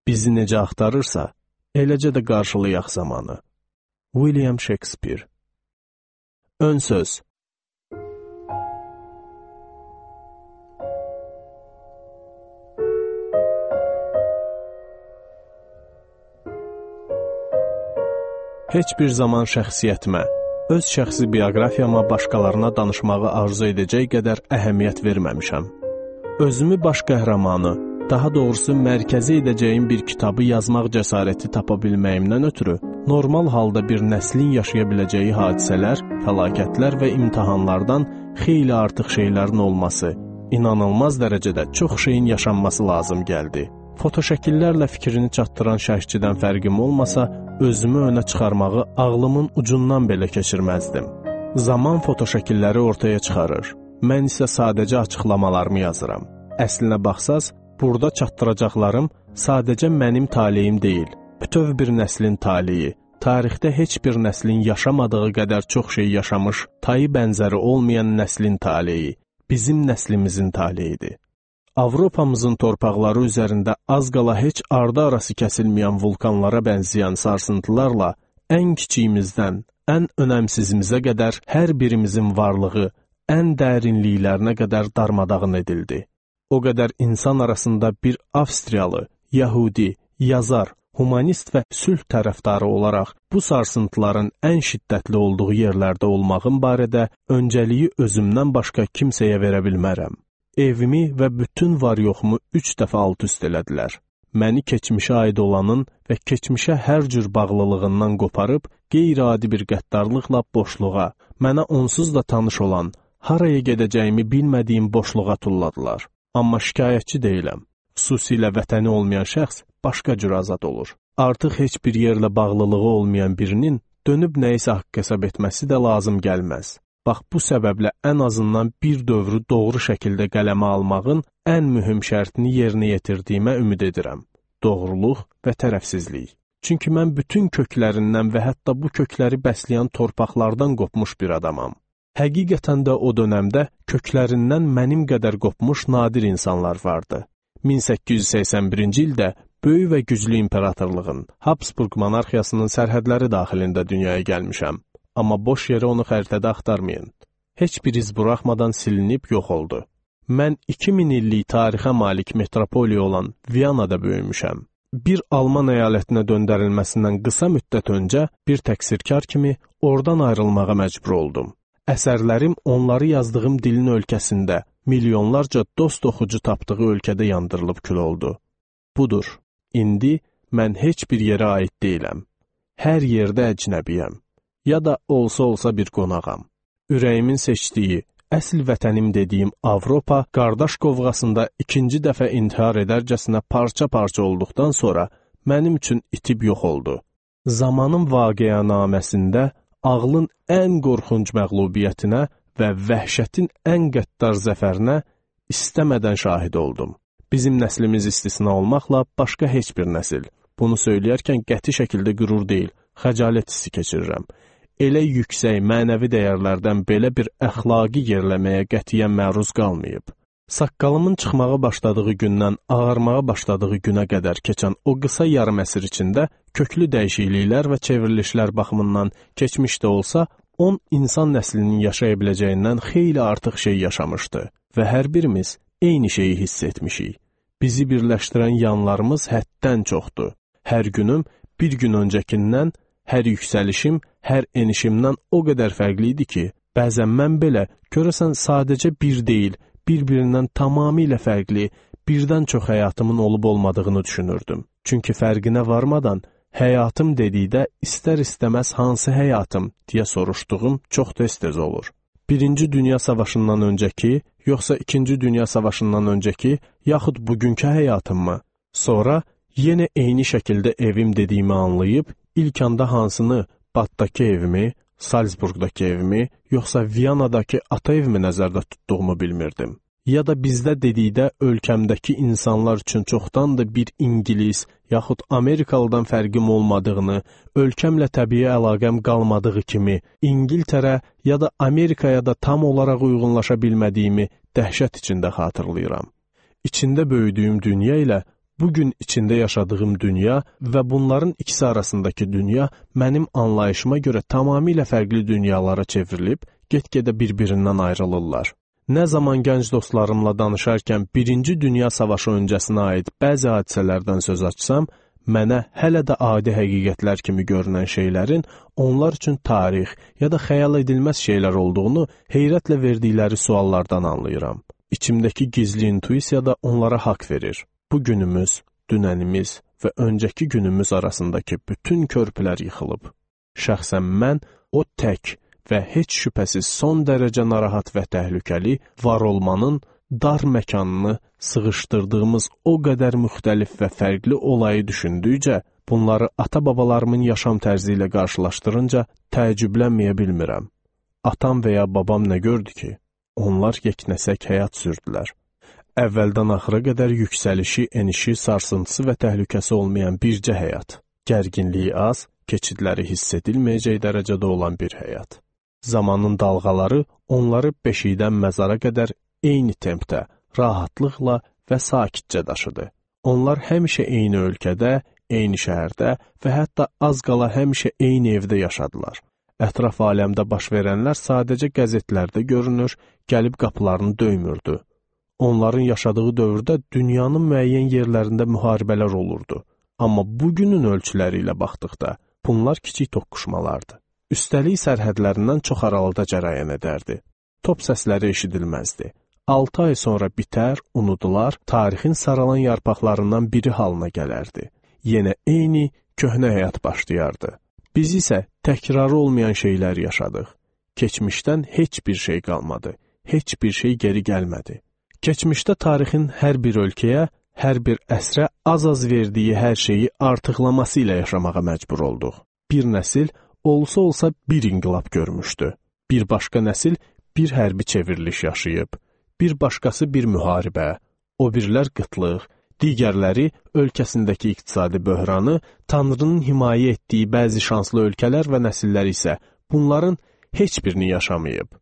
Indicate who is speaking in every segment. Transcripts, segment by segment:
Speaker 1: bizi necə axtarırsa, eləcə də qarşılayaq zamanı. William Shakespeare. Ön söz. Heç bir zaman şəxsiyyətimə, öz şəxsi bioqrafiyama başqalarına danışmağı arzu edəcək qədər əhəmiyyət verməmişəm. Özümü baş qəhrəmanı, daha doğrusu mərkəzi edəcəyim bir kitabı yazmaq cəsarəti tapa bilməyimdən ötürü, normal halda bir nəslin yaşaya biləcəyi hadisələr, fəlakətlər və imtahanlardan xeyli artıq şeylərin olması, inanılmaz dərəcədə çox şeyin yaşanması lazım gəldi. Fotoşəkillərlə fikrini çatdıran şərhçidən fərqim olmasa, özümü önə çıxarmağı ağlımın ucundan belə keçirməzdim. Zaman fotoşəkilləri ortaya çıxarır. Mən isə sadəcə açıqlamalarımı yazıram. Əslinə baxsaz, burada çatdıracaqlarım sadəcə mənim taleyim deyil, bütöv bir nəslin taleyi, tarixdə heç bir nəslin yaşamadığı qədər çox şey yaşamış, tayı bənzəri olmayan nəslin taleyi, bizim nəslimizin taleyidir. Avropamızın torpaqları üzərində az qala heç ardı arası kəsilməyən vulkanlara bənzəyən sarsıntılarla ən kiçiyimizdən ən önəmsizimizə qədər hər birimizin varlığı ən dərinliklərinə qədər darmadağın edildi. O qədər insan arasında bir Avstriyalı, Yahudi, yazar, humanist və sülh tərəfdarı olaraq bu sarsıntıların ən şiddətli olduğu yerlərdə olmağım barədə öncəliyi özümdən başqa kimsəyə verə bilmərəm. Evimi və bütün var-yoxumu 3 dəfə alt-üst elədilər. Məni keçmişə aid olanın və keçmişə hər cür bağlılığından qoparıb, qeyri-adi bir qəddarlıqla boşluğa, mənə onsuz da tanış olan, haraya gedəcəyimi bilmədiyim boşluğa tulladılar. Amma şikayətçi deyiləm. Xüsusilə vətəni olmayan şəxs başqa cür azad olur. Artıq heç bir yerlə bağlılığı olmayan birinin dönüb nəyisə haqq hesab etməsi də lazım gəlməz. Bax, bu səbəblə ən azından bir dövrü doğru şəkildə qələmə almağın ən mühüm şərtini yerinə yetirdiyimə ümid edirəm. Doğruluq və tərəfsizlik. Çünki mən bütün köklərindən və hətta bu kökləri bəsləyən torpaqlardan qopmuş bir adamam. Həqiqətən də o dönəmdə köklərindən mənim qədər qopmuş nadir insanlar vardı. 1881-ci ildə böyük və güclü imperatorluğun, Habsburg monarxiyasının sərhədləri daxilində dünyaya gəlmişəm. Amma boş yere onu xəritədə axtarmayın. Heç bir iz buraxmadan silinib yox oldu. Mən 2000 illik tarixə malik metropoliya olan Viyanada böyümüşəm. Bir Alman əyalətinə döndərilməsindən qısa müddət öncə bir təqsirkar kimi oradan ayrılmağa məcbur oldum. Əsərlərim onları yazdığım dilin ölkəsində, milyonlarca dost oxucu tapdığı ölkədə yandırılıb kül oldu. Budur, indi mən heç bir yerə aid deyiləm. Hər yerdə əcnəbiyəm. Ya da olsa bir qonağam. Ürəyimin seçdiyi, əsl vətənim dediyim Avropa qardaş qovğasında ikinci dəfə intihar edərcəsinə parça-parça olduqdan sonra mənim üçün itib yox oldu. Zamanın vaqiənaməsində ağlın ən qorxunc məğlubiyyətinə və vəhşətin ən qəddar zəfərinə istəmədən şahid oldum. Bizim nəslimiz istisna olmaqla başqa heç bir nəsil. Bunu söyləyərkən qəti şəkildə qürur deyil, xəcalət hissi keçirirəm. Elə yüksək mənəvi dəyərlərdən belə bir əxlaqi yerləməyə qətiyyən məruz qalmayıb. Saqqalımın çıxmağa başladığı gündən ağarmağa başladığı günə qədər keçən o qısa yarım əsr içində köklü dəyişikliklər və çevrilişlər baxımından keçmişdə olsa, 10 insan nəslinin yaşaya biləcəyindən xeyli artıq şey yaşamışdı və hər birimiz eyni şeyi hiss etmişik. Bizi birləşdirən yanlarımız həddən çoxdur. Hər günüm bir gün öncəkindən, hər yüksəlişim, hər enişimdən o qədər fərqli idi ki, bəzən mən belə görəsən sadəcə bir deyil, bir-birindən tamamilə fərqli, birdən çox həyatımın olub-olmadığını düşünürdüm. Çünki fərqinə varmadan, həyatım dedikdə istər-istəməz hansı həyatım deyə soruşduğum çox tez-tez olur. Birinci Dünya Savaşından öncəki, yoxsa İkinci Dünya Savaşından öncəki, yaxud bugünkü həyatımmı? Sonra yenə eyni şəkildə evim dediyimi anlayıb, ilk anda hansını, Batdakı evimi, Salzburqdakı evimi, yoxsa Viyanadakı ata evimi nəzərdə tutduğumu bilmirdim. Ya da bizdə dedikdə ölkəmdəki insanlar üçün çoxdandır bir İngilis, yaxud Amerikalıdan fərqim olmadığını, ölkəmlə təbii əlaqəm qalmadığı kimi, İngiltərə ya da Amerikaya da tam olaraq uyğunlaşa bilmədiyimi dəhşət içində xatırlayıram. İçində böyüdüyüm dünya ilə Bugün içində yaşadığım dünya və bunların ikisi arasındakı dünya mənim anlayışıma görə tamamilə fərqli dünyalara çevrilib, get-gedə bir-birindən ayrılırlar. Nə zaman gənc dostlarımla danışarkən Birinci Dünya Savaşı öncəsinə aid bəzi hadisələrdən söz açsam, mənə hələ də adi həqiqətlər kimi görünən şeylərin onlar üçün tarix ya da xəyal edilməz şeylər olduğunu heyrətlə verdikləri suallardan anlayıram. İçimdəki gizli intuisiya da onlara haqq verir. Bu günümüz, dünənimiz və öncəki günümüz arasındakı bütün körpülər yıxılıb. Şəxsən mən o tək və heç şübhəsiz son dərəcə narahat və təhlükəli var olmanın dar məkanını sıxışdırdığımız o qədər müxtəlif və fərqli olayı düşündükcə, bunları ata-babalarımın yaşam tərzi ilə qarşılaşdırınca təəccüblənməyə bilmirəm. Atam və ya babam nə gördü ki? Onlar yeknəsək həyat sürdülər. Əvvəldən axıra qədər yüksəlişi, enişi, sarsıntısı və təhlükəsi olmayan bircə həyat. Gərginliyi az, keçidləri hiss edilməyəcək dərəcədə olan bir həyat. Zamanın dalğaları onları beşikdən məzara qədər eyni tempdə, rahatlıqla və sakitcə daşıdı. Onlar həmişə eyni ölkədə, eyni şəhərdə və hətta az qala həmişə eyni evdə yaşadılar. Ətraf aləmdə baş verənlər sadəcə qəzetlərdə görünür, gəlib qapılarını döymürdü. Onların yaşadığı dövrdə dünyanın müəyyən yerlərində müharibələr olurdu. Amma bugünün ölçüləri ilə baxdıqda bunlar kiçik toqquşmalardı. Üstəlik sərhədlərindən çox aralıda cərəyan edərdi. Top səsləri eşidilməzdi. 6 ay sonra bitər, unudular, tarixin saralan yarpaqlarından biri halına gələrdi. Yenə eyni köhnə həyat başlayardı. Biz isə təkrarı olmayan şeylər yaşadıq. Keçmişdən heç bir şey qalmadı. Heç bir şey geri gəlmədi. Keçmişdə tarixin hər bir ölkəyə, hər bir əsrə az-az verdiyi hər şeyi artıqlaması ilə yaşamağa məcbur olduq. Bir nəsil olsa bir inqilab görmüşdü. Bir başqa nəsil bir hərbi çevriliş yaşayıb. Bir başqası bir müharibə, o birilər qıtlıq, digərləri ölkəsindəki iqtisadi böhranı, Tanrının himayə etdiyi bəzi şanslı ölkələr və nəsillər isə bunların heç birini yaşamayıb.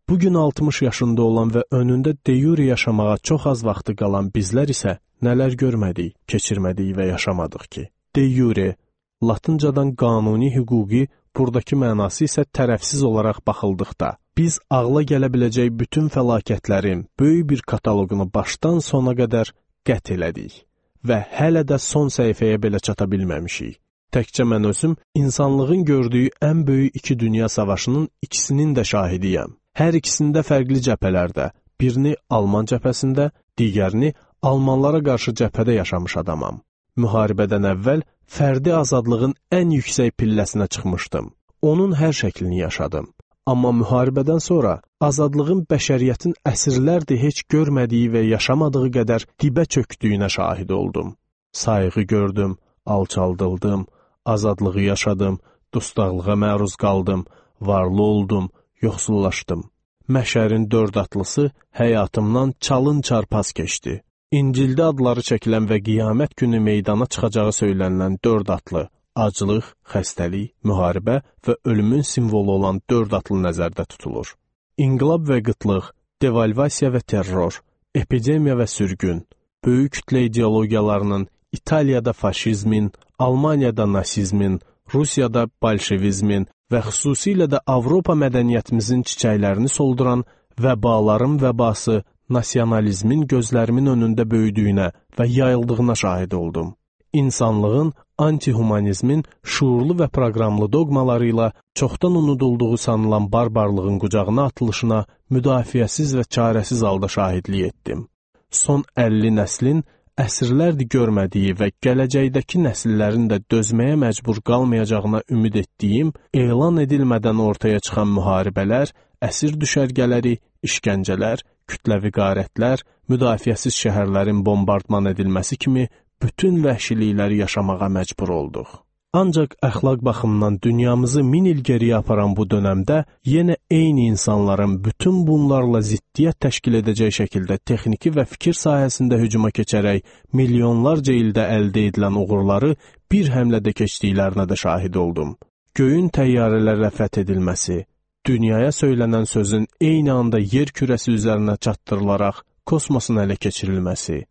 Speaker 1: Bugün 60 yaşında olan və önündə de jure yaşamağa çox az vaxtı qalan bizlər isə nələr görmədik, keçirmədik və yaşamadıq ki. De jure, latıncadan qanuni hüquqi, buradakı mənası isə tərəfsiz olaraq baxıldıqda, biz ağla gələ biləcək bütün fəlakətlərin böyük bir kataloqunu başdan sona qədər qət elədik və hələ də son səhifəyə belə çata bilməmişik. Təkcə mən özüm insanlığın gördüyü ən böyük 2 dünya savaşının ikisinin də şahidiyəm. Hər ikisində fərqli cəbhələrdə, birini Alman cəbhəsində, digərini Almanlara qarşı cəbhədə yaşamış adamam. Müharibədən əvvəl fərdi azadlığın ən yüksək pilləsinə çıxmışdım. Onun hər şəklini yaşadım. Amma müharibədən sonra azadlığın bəşəriyyətin əsrlərdir heç görmədiyi və yaşamadığı qədər dibə çökdüyünə şahid oldum. Sayğı gördüm, alçaldıldım, azadlığı yaşadım, dustaqlığa məruz qaldım, varlı oldum, yoxsullaşdım. Məşərin 4 atlısı həyatımdan çalın çarpaz keçdi. İncildə adları çəkilən və qiyamət günü meydana çıxacağı söylənilən 4 atlı, aclıq, xəstəlik, müharibə və ölümün simvolu olan 4 atlı nəzərdə tutulur. İnqilab və qıtlıq, devalvasiya və terror, epidemiya və sürgün, böyük kütlə ideologiyalarının, İtaliyada faşizmin, Almaniyada nasizmin, Rusiyada bolşevizmin və xüsusilə də Avropa mədəniyyətimizin çiçəklərini solduran vəbaların vəbası nasionalizmin gözlərimin önündə böyüdüyünə və yayıldığına şahid oldum. İnsanlığın antihumanizmin şuurlu və proqramlı doqmaları ilə çoxdan unudulduğu sanılan barbarlığın qucağına atılışına müdafiəsiz və çarəsiz halda şahidlik etdim. Son 50 nəslin əsrlərdir görmədiyi və gələcəkdəki nəsillərin də dözməyə məcbur qalmayacağına ümid etdiyim, elan edilmədən ortaya çıxan müharibələr, əsir düşərgələri, işgəncələr, kütləvi qarətlər, müdafiəsiz şəhərlərin bombardman edilməsi kimi bütün vəhşilikləri yaşamağa məcbur olduq. Ancaq əxlaq baxımından dünyamızı 1000 il geriyə aparan bu dönəmdə yenə eyni insanların bütün bunlarla ziddiyyət təşkil edəcək şəkildə texniki və fikir sahəsində hücuma keçərək milyonlarca ildə əldə edilən uğurları bir həmlədə keçdiklərinə də şahid oldum. Göyün təyyarələrlə fəth edilməsi, dünyaya söylənən sözün eyni anda yer kürəsi üzərinə çatdırılaraq kosmosun ələ keçirilməsi,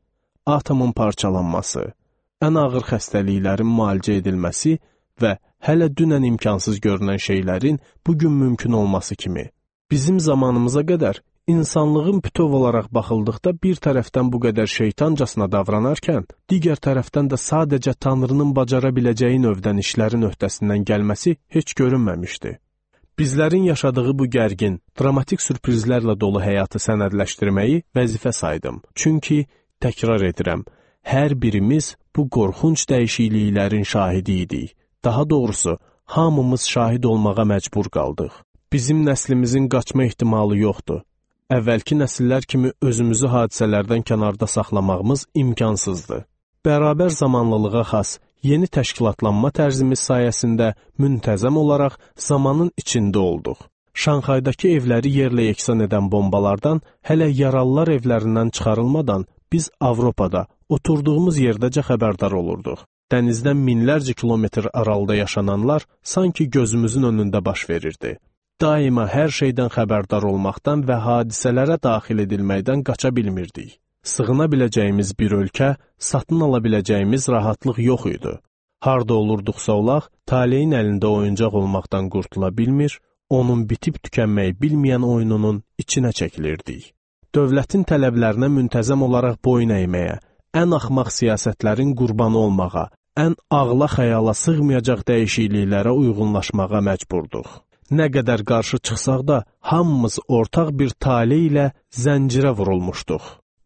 Speaker 1: atomun parçalanması, ən ağır xəstəliklərin müalicə edilməsi və hələ dünən imkansız görünən şeylərin bugün mümkün olması kimi. Bizim zamanımıza qədər insanlığın bütöv olaraq baxıldıqda bir tərəfdən bu qədər şeytancasına davranarkən, digər tərəfdən də sadəcə Tanrının bacara biləcəyi növdən işlərin öhdəsindən gəlməsi heç görünməmişdi. Bizlərin yaşadığı bu gərgin, dramatik sürprizlərlə dolu həyatı sənədləşdirməyi vəzifə saydım. Çünki, təkrar edirəm, hər birimiz bu qorxunc dəyişikliklərin şahidi idik. Daha doğrusu, hamımız şahid olmağa məcbur qaldıq. Bizim nəslimizin qaçma ehtimalı yoxdur. Əvvəlki nəsillər kimi özümüzü hadisələrdən kənarda saxlamağımız imkansızdır. Bərabər zamanlılığa xas yeni təşkilatlanma tərzimiz sayəsində müntəzəm olaraq zamanın içində olduq. Şanxaydakı evləri yerlə yeksan edən bombalardan hələ yaralılar evlərindən çıxarılmadan biz Avropada oturduğumuz yerdəcə xəbərdar olurduq. Dənizdən minlərcə kilometr aralıda yaşananlar sanki gözümüzün önündə baş verirdi. Daima hər şeydən xəbərdar olmaqdan və hadisələrə daxil edilməkdən qaça bilmirdik. Sığına biləcəyimiz bir ölkə, satın ala biləcəyimiz rahatlıq yox idi. Harda olurduqsa olaq, taleyin əlində oyuncaq olmaqdan qurtula bilmir, onun bitib tükənməyi bilməyən oyununun içinə çəkilirdik. Dövlətin tələblərinə müntəzəm olaraq boyun əyməyə, ən axmaq siyasətlərin qurbanı olmağa, ən ağla xəyala sığmayacaq dəyişikliklərə uyğunlaşmağa məcburduq. Nə qədər qarşı çıxsaq da, hamımız ortaq bir tale ilə zəncirə vurulmuşduq.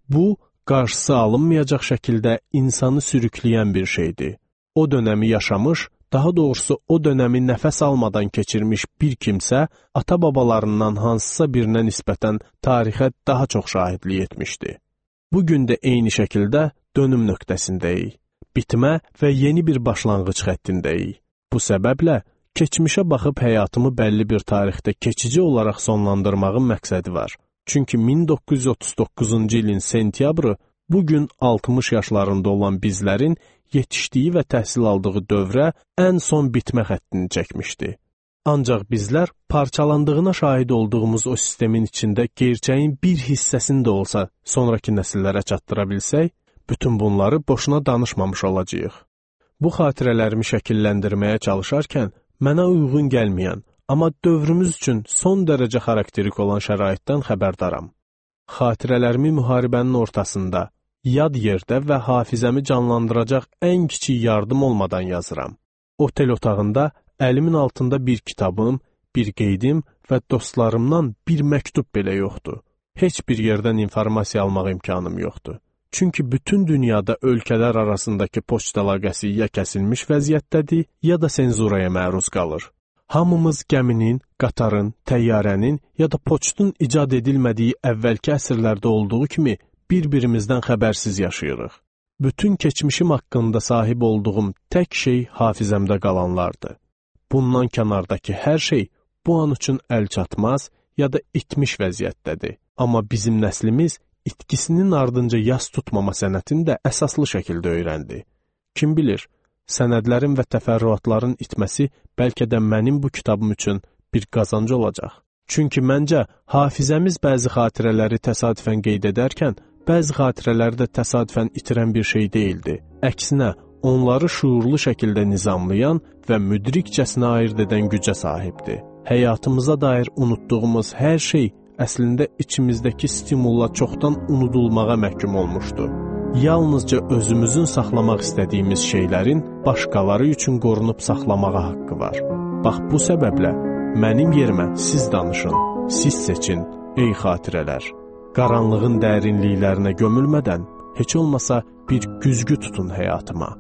Speaker 1: Bu, qarşısı alınmayacaq şəkildə insanı sürükləyən bir şeydir. O dönəmi yaşamış, daha doğrusu o dönəmi nəfəs almadan keçirmiş bir kimsə, ata-babalarından hansısa birinə nisbətən tarixə daha çox şahidlik etmişdi. Bugün də eyni şəkildə dönüm nöqtəsindəyik. Bitmə və yeni bir başlanğıc xəttindəyik. Bu səbəblə, keçmişə baxıb həyatımı bəlli bir tarixdə keçici olaraq sonlandırmağın məqsədi var. Çünki 1939-cu ilin sentyabrı bugün 60 yaşlarında olan bizlərin yetişdiyi və təhsil aldığı dövrə ən son bitmə xəttini çəkmişdi. Ancaq bizlər parçalandığına şahid olduğumuz o sistemin içində gerçəyin bir hissəsini də olsa sonraki nəsillərə çatdıra bilsək, bütün bunları boşuna danışmamış olacağıq. Bu xatirələrimi şəkilləndirməyə çalışarkən mənə uyğun gəlməyən, amma dövrümüz üçün son dərəcə xarakterik olan şəraitdən xəbərdaram. Xatirələrimi müharibənin ortasında, yad yerdə və hafizəmi canlandıracaq ən kiçik yardım olmadan yazıram. Otel otağında əlimin altında bir kitabım, bir qeydim və dostlarımdan bir məktub belə yoxdur. Heç bir yerdən informasiya almaq imkanım yoxdur. Çünki bütün dünyada ölkələr arasındakı poçt əlaqəsi ya kəsilmiş vəziyyətdədir, ya da senzuraya məruz qalır. Hamımız gəminin, qatarın, təyyarənin ya da poçtun icad edilmədiyi əvvəlki əsrlərdə olduğu kimi bir-birimizdən xəbərsiz yaşayırıq. Bütün keçmişim haqqında sahib olduğum tək şey hafizəmdə qalanlardır. Bundan kənardakı hər şey bu an üçün əl çatmaz ya da itmiş vəziyyətdədir. Amma bizim nəslimiz itkisinin ardınca yas tutmama sənətini də əsaslı şəkildə öyrəndi. Kim bilir, sənədlərin və təfərrüatların itməsi bəlkə də mənim bu kitabım üçün bir qazancı olacaq. Çünki məncə, hafizəmiz bəzi xatirələri təsadüfən qeyd edərkən, bəzi xatirələri də təsadüfən itirən bir şey deyildi. Əksinə, onları şuurlu şəkildə nizamlayan və müdrikcəsinə ayırt edən gücə sahibdir. Həyatımıza dair unutduğumuz hər şey əslində içimizdəki stimulla çoxdan unudulmağa məhkum olmuşdu. Yalnızca özümüzün saxlamaq istədiyimiz şeylərin başqaları üçün qorunub saxlamağa haqqı var. Bax bu səbəblə mənim yerimə siz danışın, siz seçin, ey xatirələr. Qaranlığın dərinliklərinə gömülmədən heç olmasa bir güzgü tutun həyatıma.